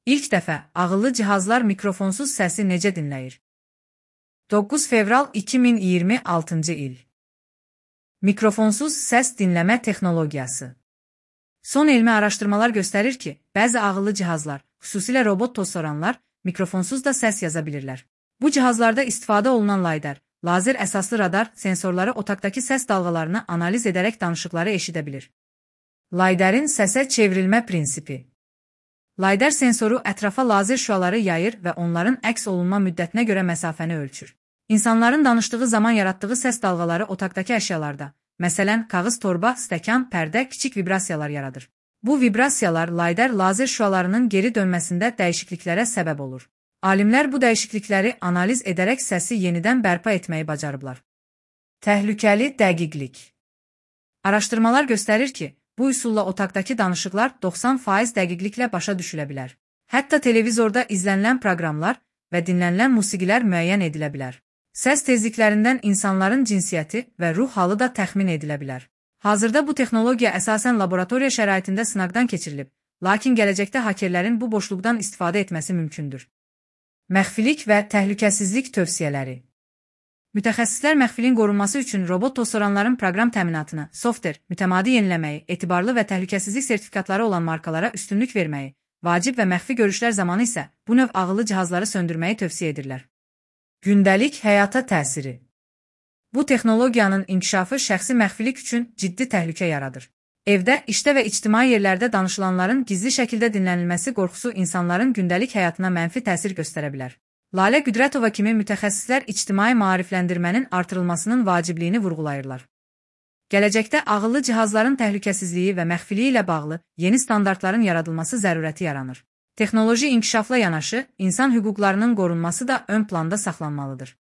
İlk dəfə ağıllı cihazlar mikrofonsuz səsi necə dinləyir? 9 fevral 2026-cı il. Mikrofonsuz səs dinləmə texnologiyası. Son elmi araşdırmalar göstərir ki, bəzi ağıllı cihazlar, xüsusilə robot tozsoranlar, mikrofonsuz da səs yaza bilirlər. Bu cihazlarda istifadə olunan lazer, lazer əsaslı radar sensorları otaqdakı səs dalğalarını analiz edərək danışıqları eşidə bilir. Lazerin səsə çevrilmə prinsipi. Lazer sensoru ətrafa lazer şüaları yayır və onların əks olunma müddətinə görə məsafəni ölçür. İnsanların danışdığı zaman yaratdığı səs dalğaları otaqdakı əşyalarda, məsələn, kağız torba, stəkan, pərdə, kiçik vibrasiyalar yaradır. Bu vibrasiyalar lazer şüalarının geri dönməsində dəyişikliklərə səbəb olur. Alimlər bu dəyişiklikləri analiz edərək səsi yenidən bərpa etməyi bacarıblar. Təhlükəli dəqiqlik. Araşdırmalar göstərir ki, bu üsulla otaqdakı danışıqlar 90% dəqiqliklə başa düşülə bilər. Hətta televizorda izlənilən proqramlar və dinlənilən musiqilər müəyyən edilə bilər. Səs tezliklərindən insanların cinsiyyəti və ruh halı da təxmin edilə bilər. Hazırda bu texnologiya əsasən laboratoriya şəraitində sınaqdan keçirilib, lakin gələcəkdə hakerlərin bu boşluqdan istifadə etməsi mümkündür. Məxfilik və təhlükəsizlik tövsiyələri. Mütəxəssislər məxfiliyin qorunması üçün robot tozsoranların proqram təminatını, softver, mütəmadi yeniləməyi, etibarlı və təhlükəsizlik sertifikatları olan markalara üstünlük verməyi, vacib və məxfi görüşlər zamanı isə bu növ ağıllı cihazları söndürməyi tövsiyə edirlər. Gündəlik həyata təsiri. Bu texnologiyanın inkişafı şəxsi məxfilik üçün ciddi təhlükə yaradır. Evdə, işdə və ictimai yerlərdə danışılanların gizli şəkildə dinlənilməsi qorxusu insanların gündəlik həyatına mənfi təsir göstərə bilər. Lalə Güdrətova kimi mütəxəssislər ictimai maarifləndirmənin artırılmasının vacibliyini vurğulayırlar. Gələcəkdə ağıllı cihazların təhlükəsizliyi və məxfiliyi ilə bağlı yeni standartların yaradılması zərurəti yaranır. Texnoloji inkişafla yanaşı, insan hüquqlarının qorunması da ön planda saxlanmalıdır.